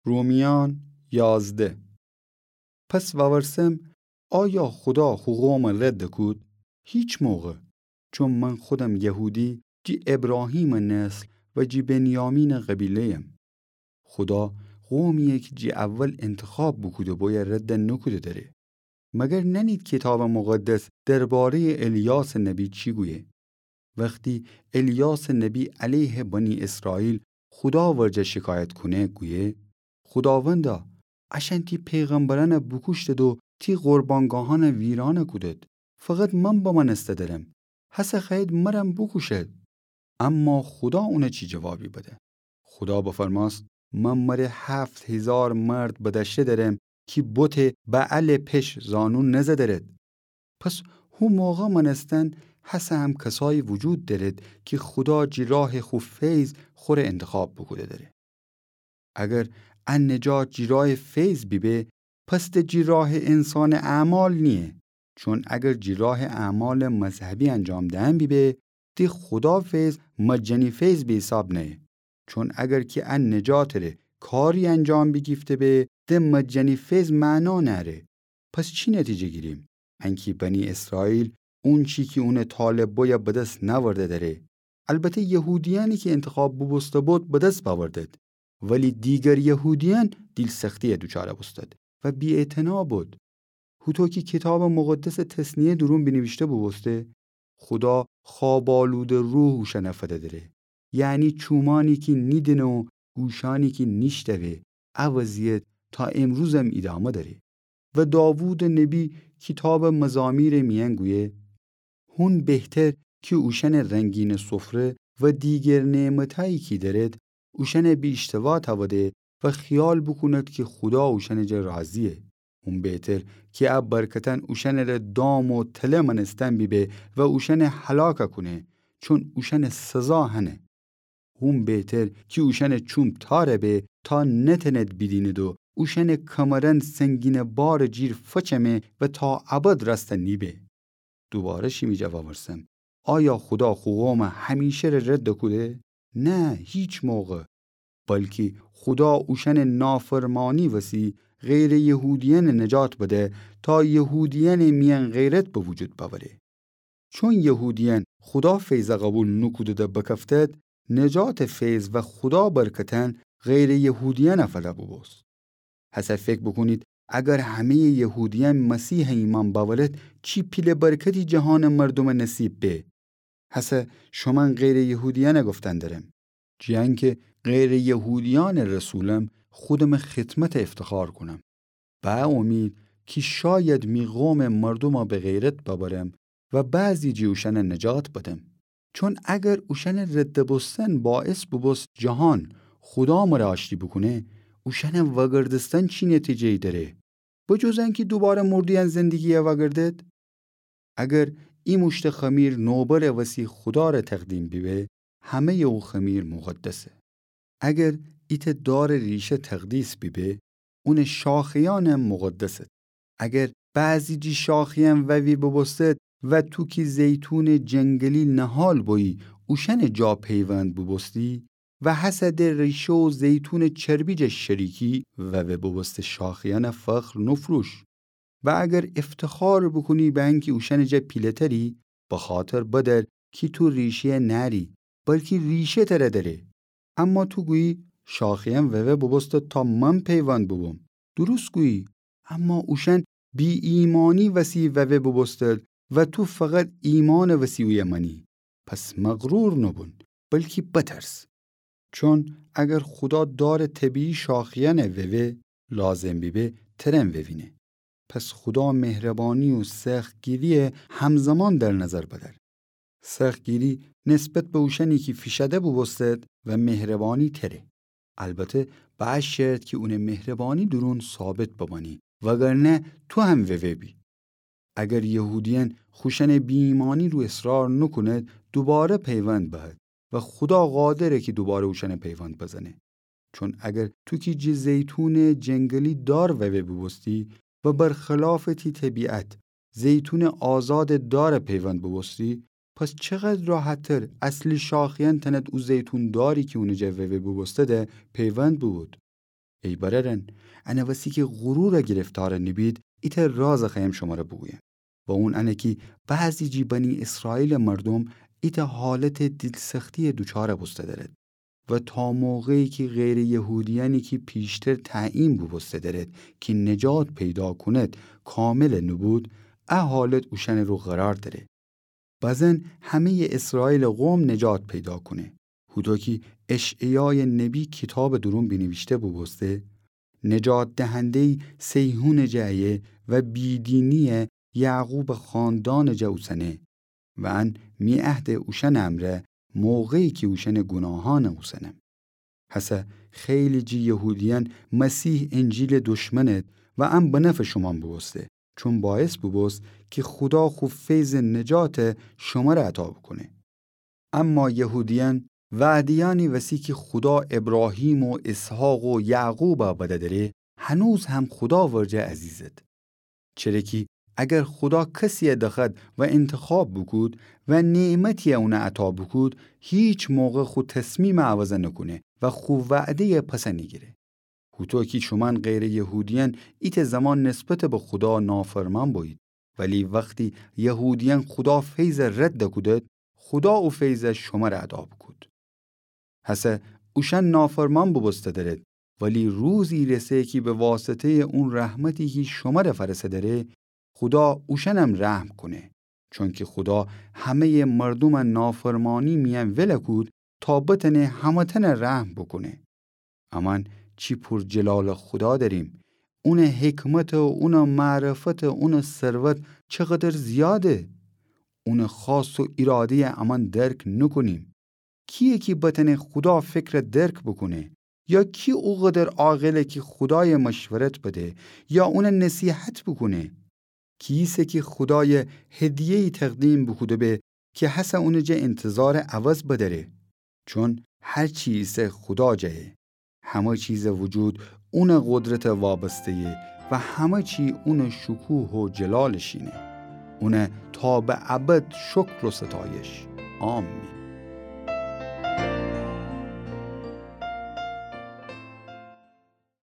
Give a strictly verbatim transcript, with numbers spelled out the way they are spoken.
رومیأن یازده. پس وورسم، آیا خودا خو قومَ رد کود؟ هیچ موقع. چون من خودم یهودی، جی ابراهیمٚ نسل و جی بنیامینٚ قبیله‌یم. خودا قومی‌یَ کی جی اول انتخاب بوکوده بویه رد نوکوده دره. مگر نأنید کیتابٚ مقدس درباره‌یٚ الیاسٚ نبی چی گویه؟ وختی الیاسٚ نبی علیه بنی اسرائیل خودا ورجه شکایت کونه، گویه: خوداوندا، اشأن تی پیغمبرأنَ بوکوشتد و تی قربانگاهأنَ ویرانَ کودد. فقط من بمأنسته درم. هسه خوأیید مرم بوکوشید. اما خودا اونَ چی جوابی بده؟ خودا بفرمأست: من مره هفت هیزار مرد بدأشته درم کی بتٚ بعلٚ پش زانو نزدرد. پس هو موقع مأنستن هسه هم کسایی وجود دأرد کی خودا جی راهٚ خو فیض خوره انتخاب بوکوده دره. اگر ا نجات جی راهٚ فیض بیبه، پس د جی راهٚ انسانٚ اعمال نییه. چون اگر جی راهٚ اعمالٚ مذهبی انجام دهن بیبه، د خودا فیض مجانی فیض به حساب نأیه. چون اگر کی ا نجاتٚ ره کاری انجام بیگیفته به، د مجانی فیض معنا نأره. پس چی نتیجه گیریم؟ انکی بنی اسرائیل اونچی کی اونٚ طالب بویه بدس نأورده دره. البته یهودیأنی کی انتخاب بوبوسته بود بدس بأوردد، ولی دیگر یهودیأن دیل‌سختی‌یه دوچاره بوستد و بی‌اعتنا بود. هوطو کی کیتابٚ مقدسٚ تثنیه دورون بینیویشته بوبوسته، خودا خواب‌آلوده روح اوشأنَ فده دره. یعنی چومأنی کی نیدینه و گوشأنی کی نیشتوه، ا وضعیت تا امروزم ایدامه دأره. و داوودٚ نبی کیتابٚ مزامیرٚ میأن گویه: هون بهتر کی اوشأنٚ رنگینٚ سفره و دیگر نعمتأیی کی دأرد، اوشأنَ بی اشتوا تأوده و خیال بوکوند کی خودا اوشأنٚ جا راضییه. هون بهتر کی ا برکتأن اوشأنٚ ره دام و تله مأنستن بیبه و اوشأنَ هلاک کونه، چون اوشأنٚ سزا هنه. هون بهتر کی اوشأنٚ چوم تأر به تا نتأند بیدیند و اوشأنٚ کمرأن سنگینٚ بارٚ جیر فچمه و تا ابد رأستَ نیبه. دوباره شیمی جا وورسم، آیا خودا خو قومَ همیشه ره رد کوده؟ نه، هیچ موقع. بلکی خودا اوشأنٚ نافرمانی وسی غیرٚ یهودیأنَ نجات بده تا یهودیأنٚ میأن غیرت به وجود بأوره. چون یهودیأن خودا فیضَ قوبیل نوکوده‌ده بکفتد، نجاتٚ فیض و خودا برکتأن غیرٚ یهودیأنَ فده بوبوست. هسه فکر بوکونید، اگر همه‌یٚ یهودیأن مسیحَ ایمأن بأورد، چی پیله برکتی جهانٚ مردومَ نصیب به. هسه شومأن غیرٚ یهودیأنَ گفتن درم. جی انکه غیرٚ یهودیأنٚ رسولم، خودمٚ خدمتَ افتخار کونم. به ا امید کی شاید می قومٚ مردومَ به غیرت ببرم و بعضی جی اوشأنَ نجات بدم. چون اگر اوشأنٚ رد بوستن باعث بوبوست جهان خودا مره آشتی بوکونه، اوشأنٚ وأگردستن چی نتیجه‌یی دأره؟ به جز انکی دوباره مرده‌یأن زندگی‌یَ وأگردد؟ اگر ای موشتٚ خمیر نوبرٚ وسی خودا ره تقدیم بیبه، همه‌یٚ او خمیر مقدسه. اگر ایتأ دارٚ ریشه تقدیس بیبه، اونٚ شاخه‌یأنم مقدسد. اگر بعضی جی شاخه‌یأن ووی بوبوستد و تو کی زیتونٚ جنگلی نهال بویی، اوشأنٚ جا پیوند بوبوستی، و هسه د ریشه و زیتونٚ چربی جا شریکی ووه بوبوسته شاخه‌یأنَ فخر نوفروش. و اگر افتخار بوکونی به انکی اوشأنٚ جا پیله‌تری، بخاطر بدأر کی تو ریشه‌یَ نأری، بلکی ریشه تره دأره. اما تو گویی، شاخه‌یأن ووه بوبوستد تا من پیوند بوبوم. درست گویی، اما اوشأن بی‌ایمأنی وسی ووه بوبوستد و تو فقط ایمأنٚ وسی اویه مأنی. پس مغرور نوبون، بلکی بترس. چون اگر خودا دارٚ طبیعی شاخه‌یأنَ ووه، لازم بیبه ترم ووینه. پس خودا مهربانی و سختگیری‌یَ همزمان در نظر بدأر. سختگیری نسبت به اوشأنی کی فیشأده بوبوستد و مهربانی تره. البته به ا شرط کی اونٚ مهربانی دورون ثابت بمأنی، وگرنه تو هم ووه بی. اگر یهودیأن خوشأنٚ بی‌ایمأنی رو اصرار نوکوند، دوباره پیوند بهد و خودا قادره کی دوباره اوشأنَ پیوند بزنه. چون اگر تو کی جٚه زیتونٚ جنگلی دار ووه بوبوستی و برخلافٚ تی طبیعت زیتونٚ آزادٚ دارَ پیوند بوبوستی، پس چقدر راحت‌تر اصلی شاخه‌یأن تأند او زیتون داری کی اونٚ جا ووه بوبوستده پیوند بوبود. ای برأرأن، انه وسی کی غرور گرفتار نبید، ایتأ راز خوأیم شمر بوگویم. و اون انه کی بعضی جٚه بنی اسرائیل مردوم ایتأ حالت دیلسختی دوچار بوسته دأرد. و تا موقعی کی غیر یهودیأنی کی پیشتر تعیین بوبوسته دأرد کی نجات پیدا کونید کامل نبود، ا حالت اوشأنٚ رو قرار دأره. بزن همه‌یٚ اسرائیلٚ قوم نجات پیدا کونه. هوطو کی اشعیایٚ نبی کیتابٚ دورون بینیویشته بوبوسته، نجات دهنده‌یی صیهونٚ جه ایه و بیدینیی یعقوبٚ خاندانٚ جه اوسنه. و ان می عهدٚ اوشأنٚ امرأ، موقعی کی اوشأنٚ گوناهأن اوسنم. هسه خیلی جٚه یهودیأن مسیح انجیلٚ دشمنید و ان به نفعٚ شومأن بوبوسته، چون باعث بوبوست کی خودا خو فیضٚ نجات شمر عطا بوکونه. اما یهودیأن وعده‌یأنی وسی کی خودا ابراهیم و اسحاق و یعقوب بده دأره، هنوز هم خودا ورجه عزیزید. چره کی اگر خودا کسیی دخوأد و انتخاب بوکود و نعمتیی اون عطا بوکود، هیچ موقع خو تصمیم عوض نکونه و خو وعده‌یی پس نیگیره. هوطو کی شومأن غیر یهودیأن ایتأ زمان نسبت به خودا نافرمان بویید، ولی وختی یهودیأن خودا فیض رد کودید، خودا او فیض شمر عطا بوکود. هسه اوشأن نافرمان بوبوسته دأرید، ولی روزی رسه کی به واسطه‌یٚ اون رحمتی کی شمر فأرسه دأره، خودا اوشأنم رحم کونه. چونکی خودا همه‌یٚ مردوم نافرمانی میأن ول کود تا بتأنه همه‌تأن رحم بوکونه. امأن چی پور جلالٚ خودا دأریم. اونٚ حکمت و اونٚ معرفت و اونٚ ثروت چقدر زیاده. اونٚ خواست و ایراده‌یی امأن درک نوکونیم. کییه کی بتأنه خودا فکر درک بوکونه؟ یا کی اوقدر عاقله کی خودایٚ مشورت بده یا اونٚ نصیحت بوکونه؟ کیسه کی خودایٚ هدیه‌یی تقدیم بوکوده به کی هسه اونٚ جه انتظارٚ عوض بدأره؟ چون هر چی ایسه خودا جه‌یه. همه چیزٚ وجود اونٚ قدرت وابسته‌یه و همه چی اونٚ شکوه و جلال شینه. اون تا به ابد شکر و ستایش. آمین.